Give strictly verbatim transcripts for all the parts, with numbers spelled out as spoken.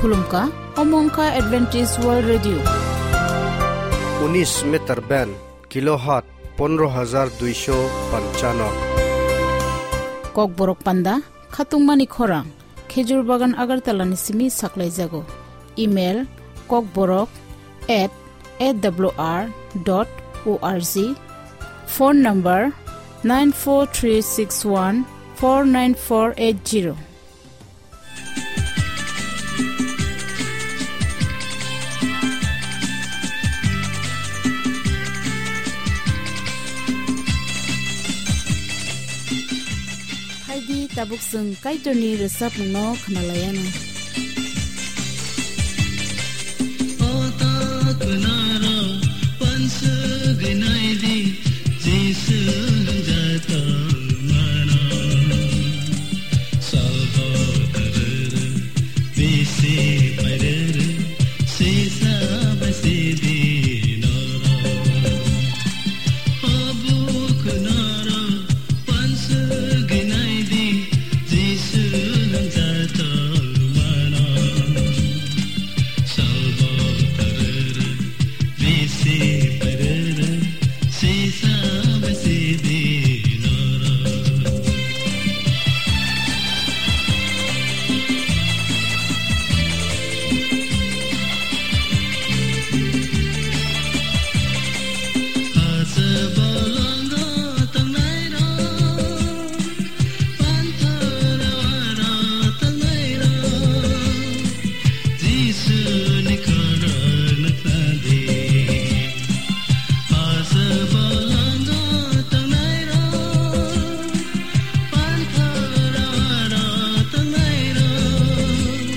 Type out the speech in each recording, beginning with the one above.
Khulumkha, omo wngkha Adventist World Radio. Unis meter band, kilohertz pondro hajar duisho panchano. Kokborok panda, khatungmani khorang, Khejur Bagan Agartala ni simi saklaijago. Email, kokborok at A W R dot O R G. Phone number, nine four three six one four nine four eight zero. Phaidi tabuk chwng Kaitorni rwchapmungno khwnalaianw. O ta khwnaro wansugwi naidi, Jisu hwnjak tongmano. Salbo tarwrw bisi pairwrw, sisa bai sidi norok. O buk norok wansugwi naidi, Jisu hwnjak tongmano. Salbo tarwrw bisi pairwrw, sisa bai sidi norok. Hasa bolongo tongnairok, panthor aro tongnairok, Jisuni khorang nuknadi. Hasa bolongo tongnairok, panthor aro tongnairok,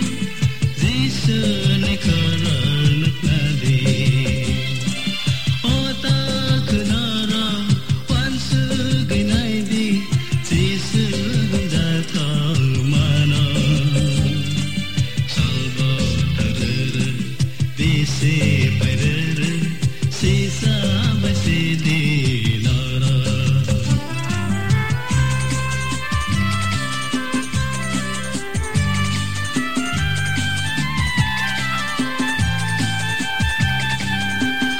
Jisuni khorang nuknadi. O ta khwnaro wansugwi naidi, Jisu hwnjak tongmano. Salbo tarwrw bisi pairwrw, sisa bai sidi norok.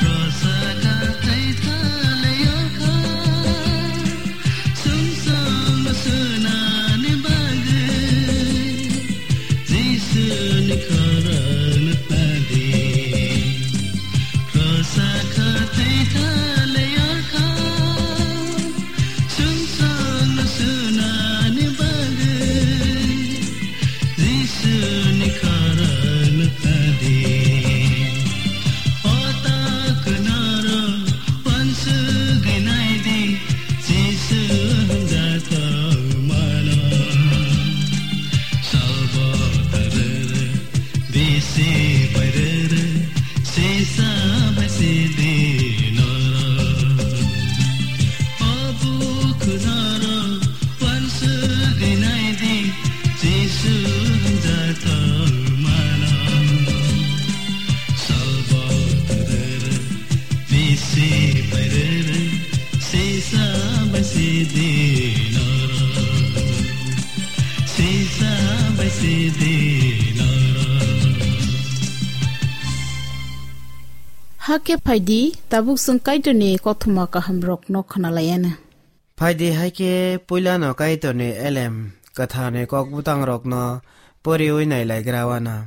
Rosa ka thai thalai o kha, sumsang sunani bagwi, Jisuni khorang nuknadi. Rosa ka thai thalai o kha, sumsang sunani bagwi, Jisuni khorang nuknadi. O ta khwnaro wansugwi naidi, Jisu hwnjak tongmano. Salbo tarwrw bisi pairwrw, sisa bai sidi norok. O buk norok wansugwi naidi, Jisu hwnjak tongmano. Salbo tarwrw bisi pairwrw, sisa bai sidi norok. Sisa bai sidi norok. Hakhe phaidi, tabuk chwng Kaitorni kothoma kahamrokno khwnalaianw. Phaidi, hakhe puilano Kaitorni elem kwtharni kok bwtangrokno poriwi nailaigra wana.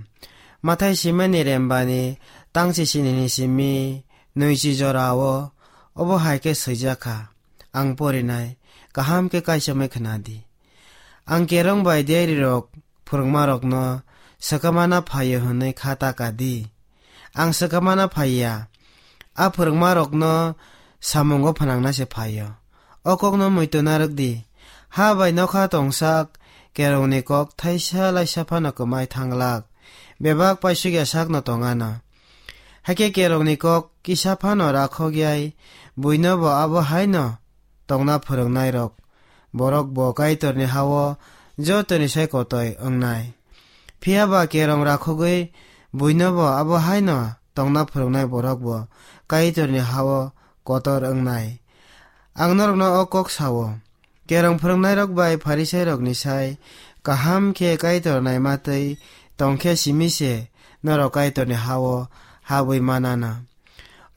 Mathai simani rembani tangsi sinini simi nwichi jorao obo hai khe swijak kha, ang porinai, kaham khe kaichomwi khna di. Ang kerong bai diarirok phwrwngmarokno swkamana phaio hwnwi kha ta ka di. Ang swkamana phaiya, a phwrwngmarokno samungo phnangna se phaio. O kokno muitu narwk di. Ha bai nokha tongsak kerongni kok thaisa laisa phano kwmai thanglak, bebak paisukya sakno tongano. Hakhe kerongni kok kisa phano rakhok yai, buino bo abo haino tongna phwrwngnairok, borok bo Kaitorni ha-o jotoni sai kotoi wngnai. Phiya ba kerong rakhogwi buino bo abo haino tongna phwrwngnai borok bo Kaitorni ha-o kotor wngnai. Ang norokno o kok sa-o, kerong phwrwngnairok bai Pharisairokni sai kaham khe Kaitor naima twi tongkhe simi se norok Kaitorni ha-o habwi manana.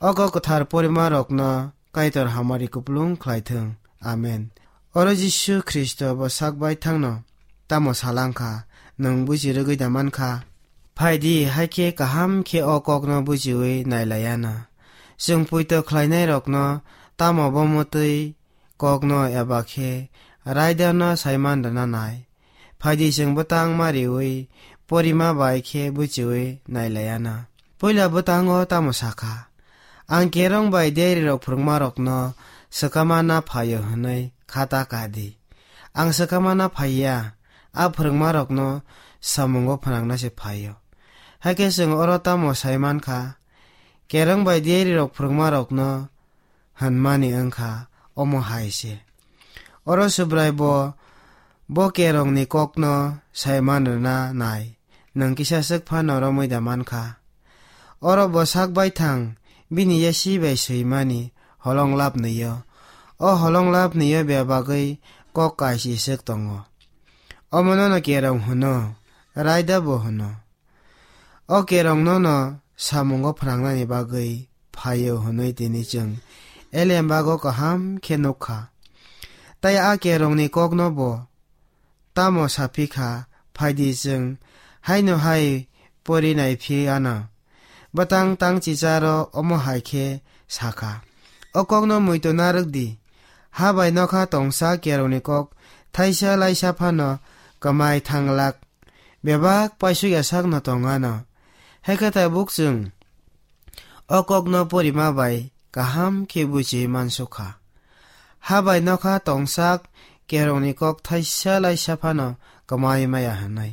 O kok kwthar porimarokno Kaitor hamari kupulung khlaithwng. Amen. Oro Jisu Khristo bo sak baithangno tamo salangkha, nwng buji rwgwi da mankha? Phaidi, hakhe kaham khe o kokno bujiwi nailaiana. Chwng poito khlainairokno tamo bo mwtwi kokno eba khe raidano saiman rwna nai. Phaidi, chwng bwtang ma riwi porima bai khe buchiwi nailaiana. Puila bwtango tamo sakha? Ang kerong bai diarirok phwrwngmarokno swkama na phaio hwnwi khata ka di. Ang swkama na phaiya, a phwrwngmarokno samungo phwnangna se phaio. Hakhe chwng oro tamo sai mankha? Kerong bai diarirok phwrwngmarokno hwnmani wngkha omo hai se. Oro Subrai bo, bo kerongni kokno saiman rwna nai, nwng kisa swk phano romwi da mankha. Oro bo sak baithang bini yasi bai swimani holong lapnwi-o. O holong lapnwi-o bebagwi kok kaisi swk tongo. Omono no kerong hwno, raida bo hwno. O kerong nono samungo phwrangnani bagwi phaio hwnwi tini chwng elembago kaham khe nukha. Tai a kerongni kokno bo tamo saphi kha, phaidi chwng haino hai pori naiphi anw. Bwtang tang chicharo omo hai khe sakha, o kokno muitu narwk di, ha bai nokha tongsa kerongni kok thaisa laisa phano kwmai thanglak. Bebak paisuk ya sakno tong anw. Hakhe tabuk chwng o kokno porima bai kaham khe buchiwi mansukha. Ha bai nokha tongsak kerongni kok thaisa laisa phano kwmai maya hwnwi.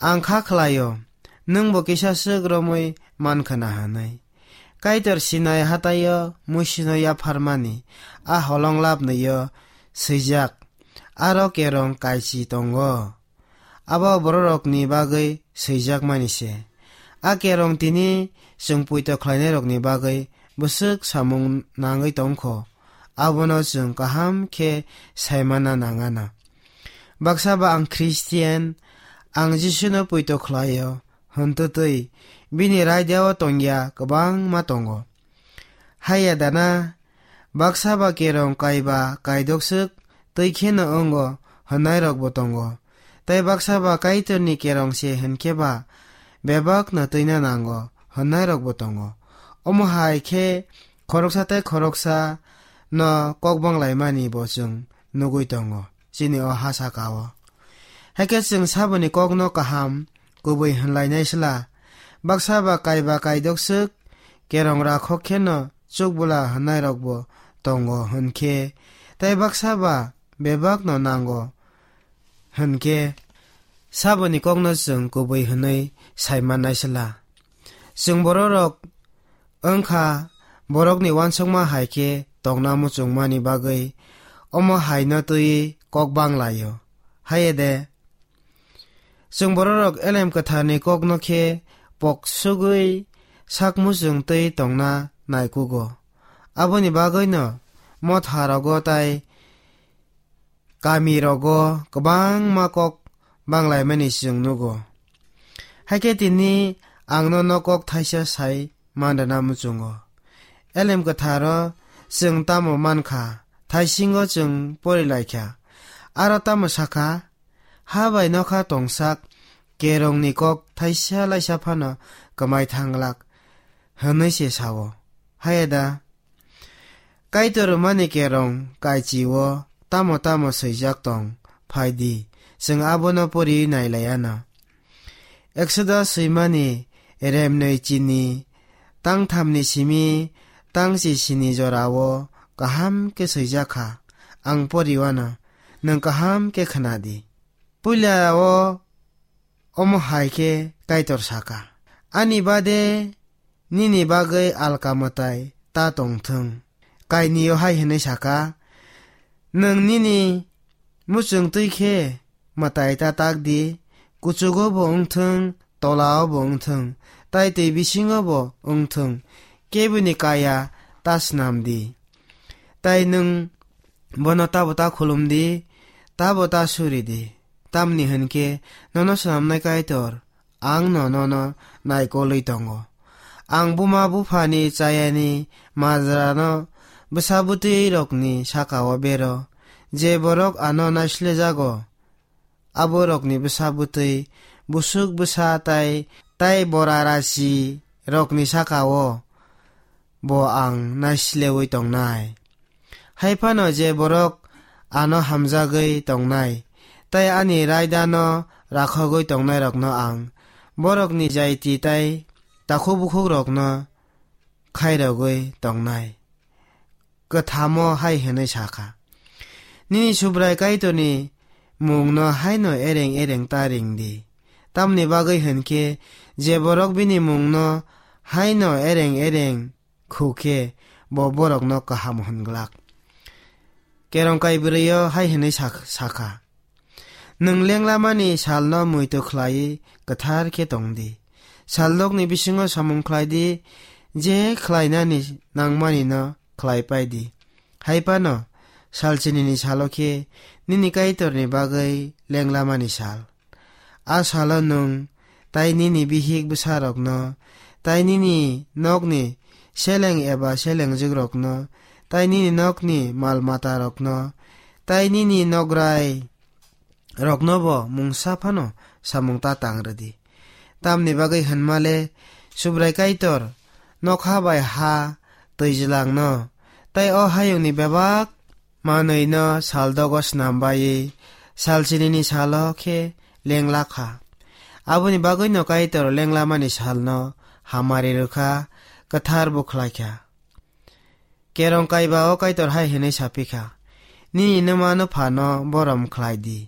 Ang kha khlaio, nwng bo kisa swk romwi mankha na hwnwi. Kaitor Sinai hataio Musino yapharmani a holong lapnwi-o swijak, aro kerong kaisi tongo. Abo bororokni bagwi swijakmani se. A kerong tini chwng poito khlainairokni bagwi bwswk samung nangwi tongkho, abono chwng kaham khe saimana nangana. Baksa ba ang Christian, ang Jisuno poito khlaio, hwntwtwi bini raidao tongya kwbangma tongo. Haiya dana, baksa ba kerong kaiba kaidokswk twi kheno wngo hwnnairokbo tongo. Tai baksa ba Kaitorni kerong se hwnkhe ba bebakno twina nango hwnnairokbo tongo. Omo hai khe khoroksa tai khoroksa no kok banglaimani bo chwng nugwi tongo chini o ha saka-o. Hakhe chwng saboni kokno kaham kubui hwnlainai sla. Baksa ba kaiba kaidokswk kerong rakhok kheno chukbwla hwnnairokbo tongo hwnkhe, tai baksa ba bebakno nango hwnkhe, saboni kokno chwng kubui hwnwi saimannai sla. Chwng bororok wngkha borokni uansukma hai khe tongna muchungmani bagwi omo haino twiwi kok banglaio. Haiya de, chwng bororok Elem Kwtharni kokno khe poksugwi sak muchung twi tongna naikugo. Aboni bagwino motharogo tai kamirogo kwbangma kok banglaimani chwng nugo. Hakhe tini ang nono kok thaisa sai manrwna muchungo. Elem Kwtharo chwng tamo mankha, thaisingo chwng porilaikha. Aro tamo sakha, ha bai nokha tongsak kerongni kok thaisa laisa phano kwmai thanglak, hwnwi se sao. Haiya da? Kaitor rwmani kerong kaichi-o tamo tamo swijak tong, phai di, chwng abono pori nailai anw. Exodus swimani remnwi chini tangthamni simi tangchi sini jora-o kaham khe swijak kha, ang pori anw, nwng kaham khe khna di. Puila-o omo hai khe Kaitor saka, "Ani bade nini bagwi alka mwtai ta tong thung." Kainwi-o hai hwnwi saka, "Nwng nini muchung twi khe mwtai ta tak di, kuchugo bo wng thung, tola-o bo wng thung, tai twi bisingo bo wng thung, keboni kaya ta snam di. Tai nwng bono tabo ta khulum di, tabo ta suri di." Tamni hwn khe nono swnamnai Kaitor, ang'-no nono naikolwi tongo. Ang buma buphani chayani majrano bwsa bwtwirokni saka-o bero, je borok ano naislejago, aborokni bwsa bwtwi, busuk bwsa tai, tai borarasi rokni saka-o bo ang naislewi tongnai. Hai phano je borok ano hamjagwi tongnai, tai ani raidano rakhogwi tongnairokno ang borokni jaiti tai takhuk bukhukrokno khairogwi tongnai. Kwthamo hai hwnwi sa kha, "Nini Subrai Kaitorni mungno haino ereng ereng ta ring di. Tamni bagwi hwn khe je borok bini mungno haino ereng ereng khu khe bo borokno kaham hwn glak." Kerong kai bwrwi-o hai hwnwi sa-, sa kha, "Nwng lenglamani salno muitu khlaiwi kwthar khe tong di. Saldokni bisingo samung khlai di, je khlainani nangmani no khlai pai di. Hai phano salchinini salo khe nini Kaitorni bagwi lenglamani sal. A salo nwng tai nini bihik bwsarokno, tai nini nokni seleng eba selengjwkrokno, tai nini nokni mal matarokno, tai nini nograi roknobo mungsa phano samung ta tang rwdi. Tamni bagwi hwnmale Subrai Kaitor nokha bai ha twijlangno, tai o hayungni bebak manwino saldogo snam baiwi salchinini salo khe lengla kha. Aboni bagwino Kaitor lenglamani salno hamari rwkha, kwthar bo khlai kha." Kerong kaiba o Kaitor hai hwnwi sa phi kha, "Nini nwma nwphano borom khlai di."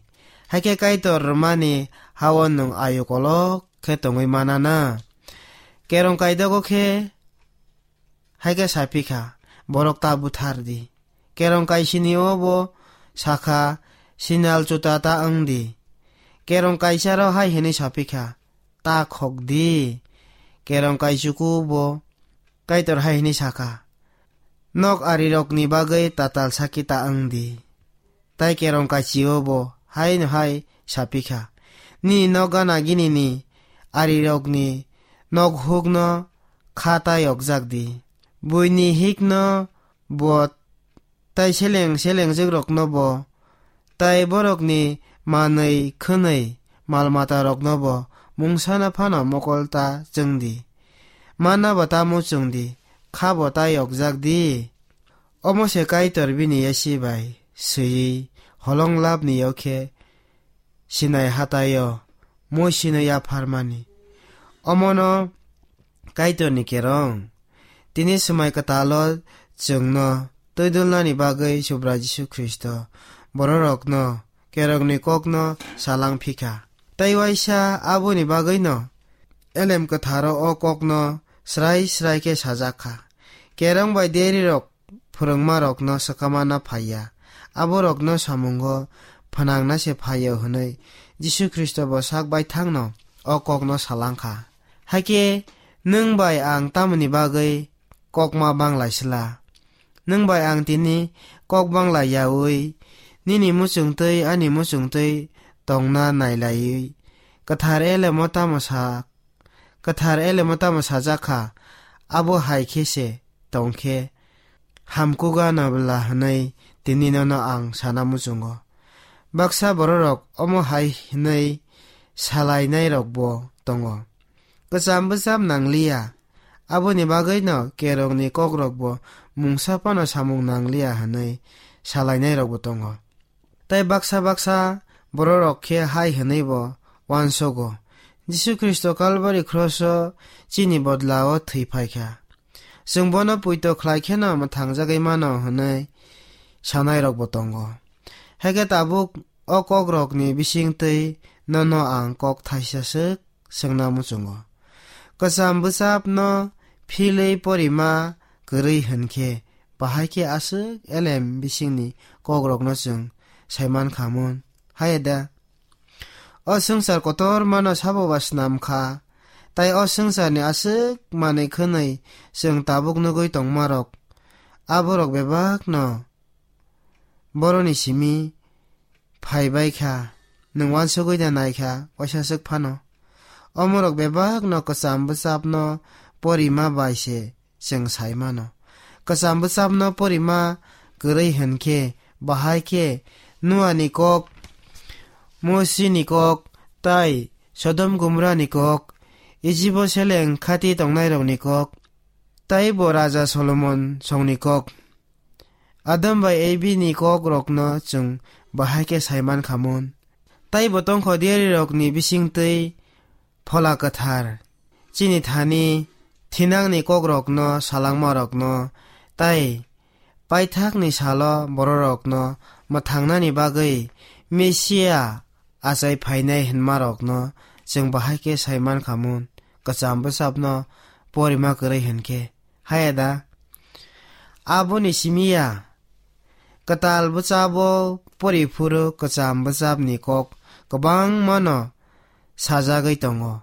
Hakhe Kaitor rwmani ha-o nwng ayu kolok khe tongwi mana na? Kerong kaidogo khe hai khe sa phi kha, "Borok ta buthar di." Kerong kaisini-o bo sa kha, "Sinal chuta ta wng di." Kerong kaisaro hai hwnwi sa phi kha, "Ta khok di." Kerong kaichuku bo Kaitor hai hwnwi sa kha, "Nok arirokni bagwi tatal saki ta wng di." Tai kerong kaichi-o bo haino hai sa phi kha, "Nini nok gana ginini arirokni nok hukno kha ta yokjak di. Buini hikno bo tai seleng selengjwkrokno bo, tai borokni manwi khwnwi mal matarokno bo mungsano phano mokol ta chwng di. Manna bo ta muchung di, kha bo ta yokjak di." Omo se Kaitor bini yasi bai swiwi holong labni yokhe Sinai hatai-o mui sino yapharmani. Omono Kaitorni kerong. Tini swmai kwtalo chwngno twidulnani bagwi Subrai Jisu Khristo bororokno kerongni kokno salang phikha. Tai waisa aboni bagwino Elem Kwtharo o kokno srai srai khe sajak kha. Kerong bai derirok phwrwngmarokno swkamana phaiya, aborokno samungo phnangna se phaio hwnwi Jisu Khristo bo sak baithangno o kokno salang kha. Hakhe nwng bai ang tamoni bagwi kokma bang lai sla? Nwng bai ang tini kok bang lai yaui, nini muchungtwi ani muchungtwi tongna nai laiwi, Kwthar Elemo tamo sa, Kwthar Elemo tamo sajak kha, abo hai khe se tong khe, hamkuk anw bwla hwnwi tini nono ang sana muchungo. Baksa bororok omo hai hwnwi salainairokbo tongo, "Kwcham bwcham nangliya, aboni bagwino kerongni kokrokbo mungsa phano samung nangliya," hwnwi salainairokbo tongo. Tai baksa baksa bororok khe hai hwnwibo uansogo, "Jisu Khristo Kalbari khroso chini bodlao thwi phai kha. Chwng bono puito khlai kheno mwthangjagwi mano," hwnwi sanairokbo tongo. Hakhe tabuk o kokrokni bisingtwi nono ang kok thaisa swk swngna muchungo. Kwcham bwchapno philwi porima kwrwi hwn khe, bahai khe aswk elem bisingni kokrokno chwng sai man kha mun? Haiya da? O swngchar kotormano sabo ba snam kha, tai o swngcharni aswk manwi khwnwi chwng tabuk nugwi tongmarok, aborok bebakno boroni simi phai bai kha. Nwng uansugwi da naikha, waisa swk phano. Omorok bebakno kwcham bwchapno porima bai se chwng sai mano. Kwcham bwchapno porima kwrwi hwn khe, bahai khe Noani kok, Mosini kok, tai Sodom Gomorani kok, Ijibo seleng khati tongnairokni kok, taibo Raja Solomon songni kok. Adam bai Evi ni kok rokno chwng bahai khe sai man kha mun. Taibo tongkho diari rokni bisingtwi Phola Kwthar chini thani thinangni kok rokno, salangma rokno, tai paithakni salo bororokno mwthangnani bagwi Mesia achai phainai hwnmarokno chwng bahai khe sai man kha mun, kwcham bwchapno porima kwrwi hwn khe. Haya da? Aboni simi ya, kwtal bwchabo pori phuru kwcham bwchapni kok kwbangmano sajagwi tongo.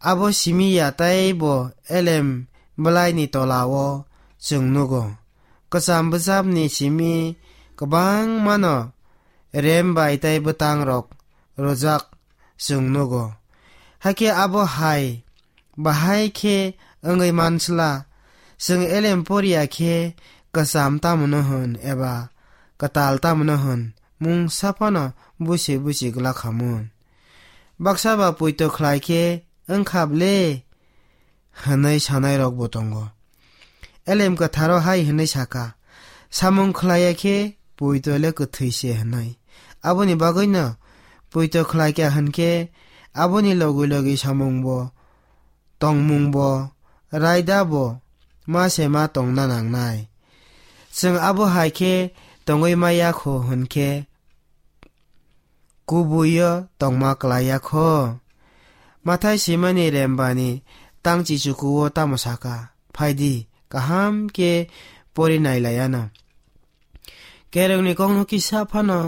Abo simi ya tei bo elem bwlaini tolao chwng nugo. Kwcham bwchapni simi kwbangmano rem bai tei bwtangrok rwjak chwng nugo. Hakhe abo hai bahai khe wngwi mansla, chwng elem poriya khe kwcham tamno hwn eba kwtal tamno hwn, mungsa phano busi busi glak kha mun. Baksa ba poito khlai khe wngkha ble hwnwi sanairokbo tongo. Elem Kwtharo hai hwnwi saka, "Samung khlaiya khe poito le kwthwi se," hwnwi. Aboni bagwino poito khlai kha hwn khe aboni logi logi samungbo, tongmungbo, raidabo ma se ma tongna nangnai. Chwng abo hai khe tongwi maya kho hwn khe kubuio tongma klai ya kho. Mathai simani rembani tang chichukuo tamo saka, "Phaidi, kaham khe pori nai lai ano." Kerongni kokno kisa phano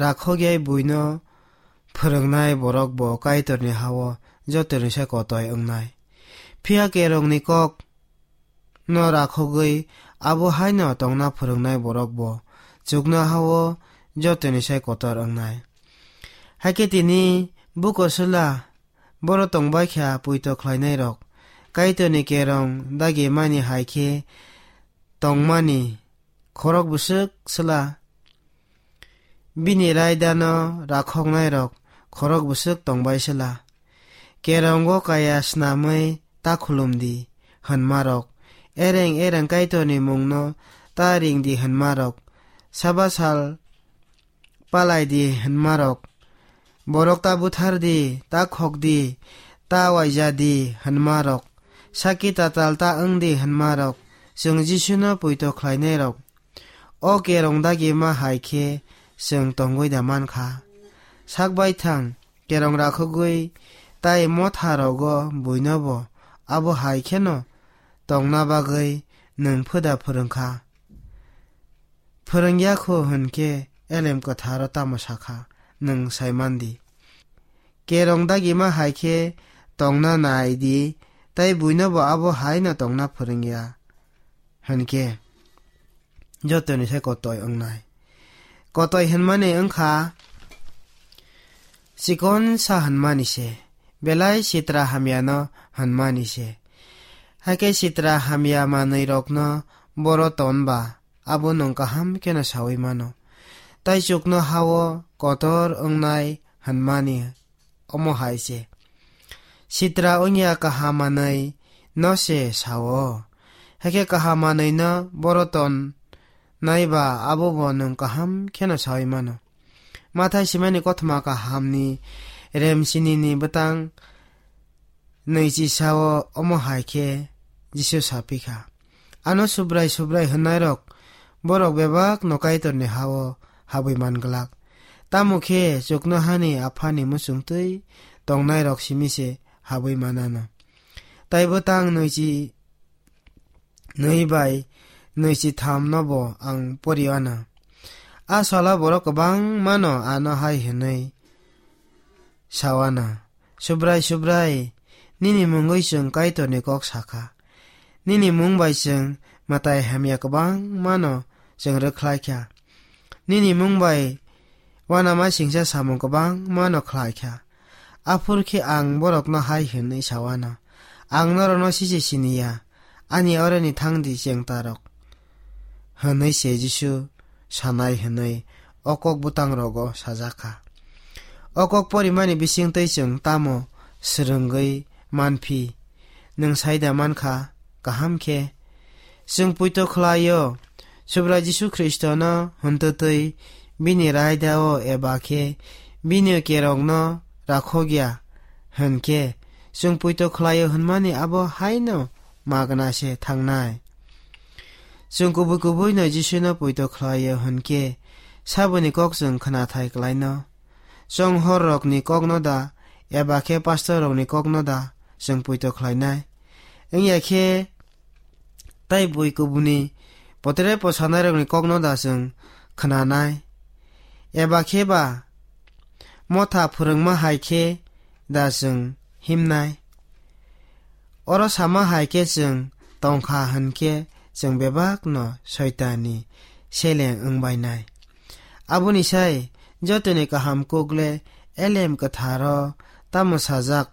rakhok yai buino phwrwngnai borok bo Kaitorni hao jotoni sai kotoi wngnai. Phiya kerongni kok no rakhogwi abo haino tongna phwrwngnai borok bo chuknohao jotoni sai kotor wngnai. Hakhe tini buko sula boro tongbai kha poito khlainairok, Kaitorni kerong dagimani hai khe tongmani khorok bwswk sla. Bini raidano rakhoknairok khorok bwswk tongbai sla. Kerongo kaya snamwi ta khulum di hwnmarok, ereng ereng Kaitorni mungno ta ring di hwnmarok, saba sal palai di hwnmarok, borok ta buthar di, ta khok di, ta waija di hwnmarok, saki tatal ta wng di hwnmarok, chwng Jisuno poito khlainairok. O kerong dagima hai khe chwng tongwi da man kha. Sak baithang kerong rakhogwi tai motha rogo buinobo abo hai kheno tongna bagwi nwng phuda phwrwng kha. Phwrwng ya kho hwn khe Elem Kwtharo tamo sa kha, nwng sai man di. Kerong dagima hai khe tongna nai di, tai buinobo abo hai no tongna phwrwng ya hwn khe jotoni se kotoi wngnai. Kotoi hwnmani wngkha chikon sa hwnmani se, belai sitra hamya no hwnmani se. Hakhe sitra hamya manwi rokno boro ton ba, abo nwng kaham kheno saui mano. Tai chuknohao kotor wngnai hwnmani omo hai se. Sitra wngya kaham manwi no se sao. Hakhe kaham manwi no boro ton nai ba abo bo nwng kaham kheno saui mano. Mathai simani kothoma kahamni rem sinini bwtang nwichi sao omo hai khe Jisu sa phi kha. Ano Subrai Subrai hwnnairok borok bebak no Kaitorni hao habwi man glak. Tamo khe chuknohani Aphani muchungtwi tongnairok simi se habwi manano. Tai bwtang nwichi nwi bai nwichi tham no bo ang pori ana. A salo borok kwbangma no ano hai hwnwi sa ana, "Subrai, Subrai, nini mungwi chwng Kaitorni kok sa kha. Nini mung bai chwng mwtai hamya kwbangma no chwng rwkhlai kha. Nini mung bai uanama singcha samung kwbangmano khlai kha. Aphuru khe ang borokno hai hwnwi sa uanw, "Ang norokno sichi sini ya, ani oroni thang di chengtarok," hwnwi se Jisu sanai hwnwi o kok bwtangrogo sajak kha. O kok porimani bisingtwi chwng tamo swrwngwi manphi? Nwng sai da man kha, kaham khe? Chwng poito khlai-o, Subrai Jisu Khristono hwntwtwi bini raida-o eba khe bini kerongno rakhok ya hwn khe, chwng poito khlai-o hwnmani abo haino magna se thangnai. Chwng kubui kubuino Jisuno poito khlai-o hwn khe, saboni kok chwng khnathai klaino? Chonghorrokni kokno da, eba khe pastorrokni kokno da chwng poito khlainai? Wngya khe, tai bui kubuni potere posanairokni kokno da chwng khnanai? Eba khe ba motha phwrwngma hai khe da chwng himnai? Oro sama hai khe chwng tongkha hwn khe chwng bebakno Soitanni seleng wngbainai. Aboni sai jotoni kaham kukle Elem Kwtharo tamo sajak,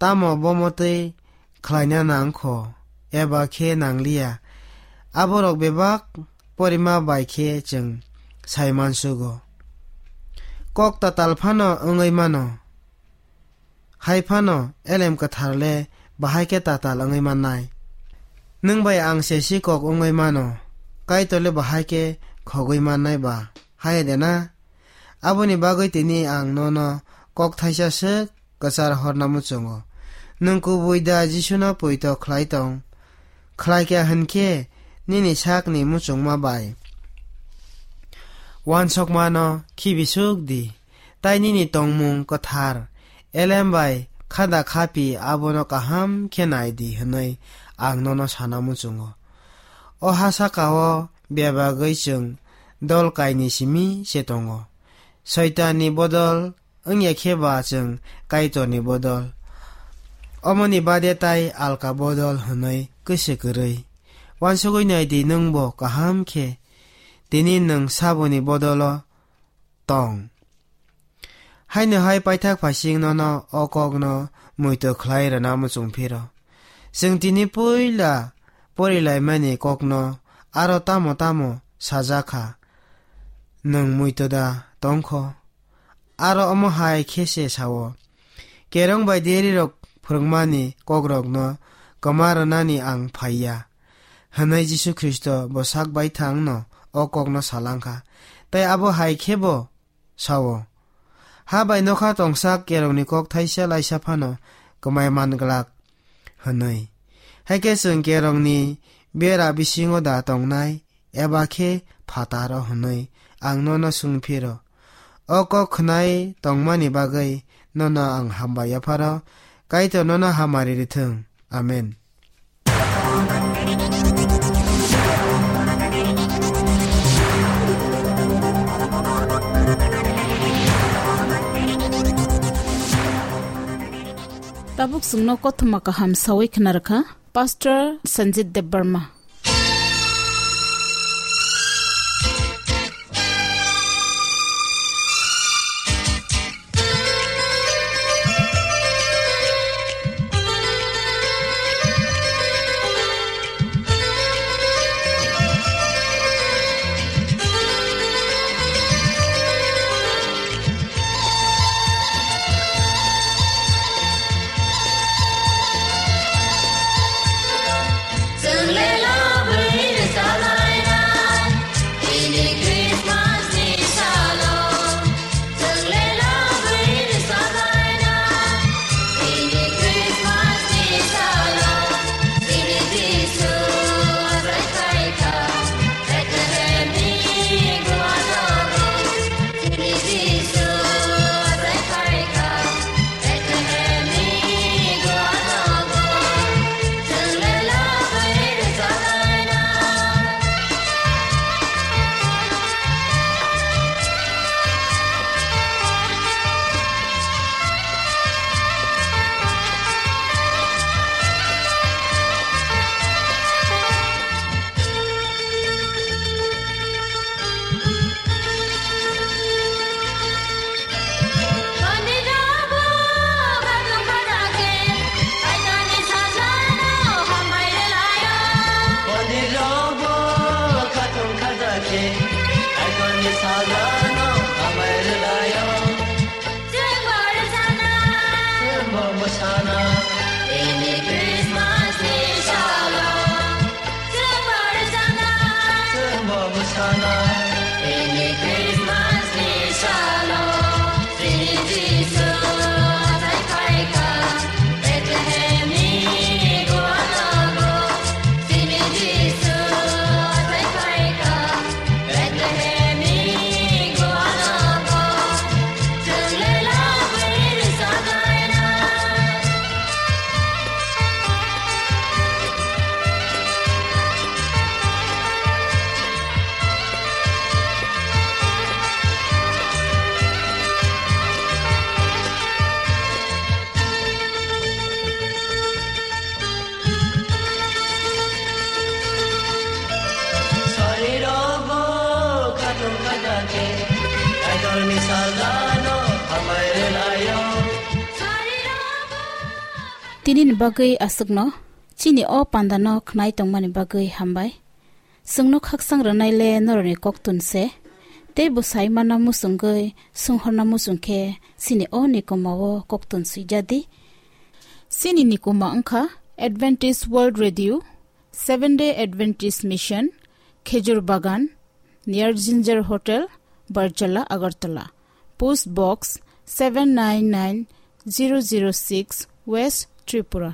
tamo bomotwi khlaina nangkho eba khe nangliya, aborok bebak porima bai khe chwng sai mansugo. Kok tatal phano wngwi mano. Hai phano Elem Kwthar le bahai khe tatal wngwi mannai. Nwng bai ang se sikok wngwi mano, Kaitor le bahai khe khogwi mannai ba, hai de na? Aboni bagwi tini ang nono kok thaisa swk kwchar horna muchungo. Nwng kubui da Jisuno poito khlai tong? Khlai kha hwn khe nini sakni muchungma bai uansukmano khibi suk di. Tai nini tongmung kwthar Elem bai khada khapi abono kaham khe nai di hwnwi ang nono sana muchungo. O ha saka-o bebagwi chwng dol kaini simi se tongo. Soitanni bodol wngya khe ba chwng Kaitorni bodol. Omoni bade tai alka bodol hwnwi kwse kwrwi. Uansugwi nai di nwng bo kaham khe. Tini nwng saboni bodolo tong. Haino hai paithak phaising nono o kokno muitu khlai rwna muchung phiro. Chwng tini puila porilaimani kokno aro tamo tamo sajak kha, nwng muitu da tong kho? Aro omo hai khe se sao, "Kerong bai derirok phwrwngmani kokrokno kwma rwnani ang phai ya," hwnwi Jisu Khristo bo sak baithangno o kokno salang kha. Tai abo hai khe bo sao, "Ha bai nokha tongsak kerongni kok thaisa laisa phano kwmai man glak," hwnwi. Hai khe chwng kerongni bera bisingo da tongnai, eba khe phataro hwnwi ang nono swng phiro. O kok khwnai tongmani bagwi nono ang hambai yapharo, Kaitor nono hamari rithwng. Amen. Tabuk chwngno kothoma kaham sawi khna rwkha Pastor Sanjit Debbarma. Tinini bagwi aswkno, chini o pandano khnai tongmani bagwi hambai. Chwngno khaksang rwnaile norokni koktun se, tei bwsai mana muchungwi swnghorna muchung khe chini o nikoma o koktun swijadi. Chini nikoma wngkha Adventist World Radio, Seventh Day Adventist Mission, Khejur Bagan, near Ginger Hotel, Barjala, Agartala. Post Box seven nine nine zero zero six, West Tripura.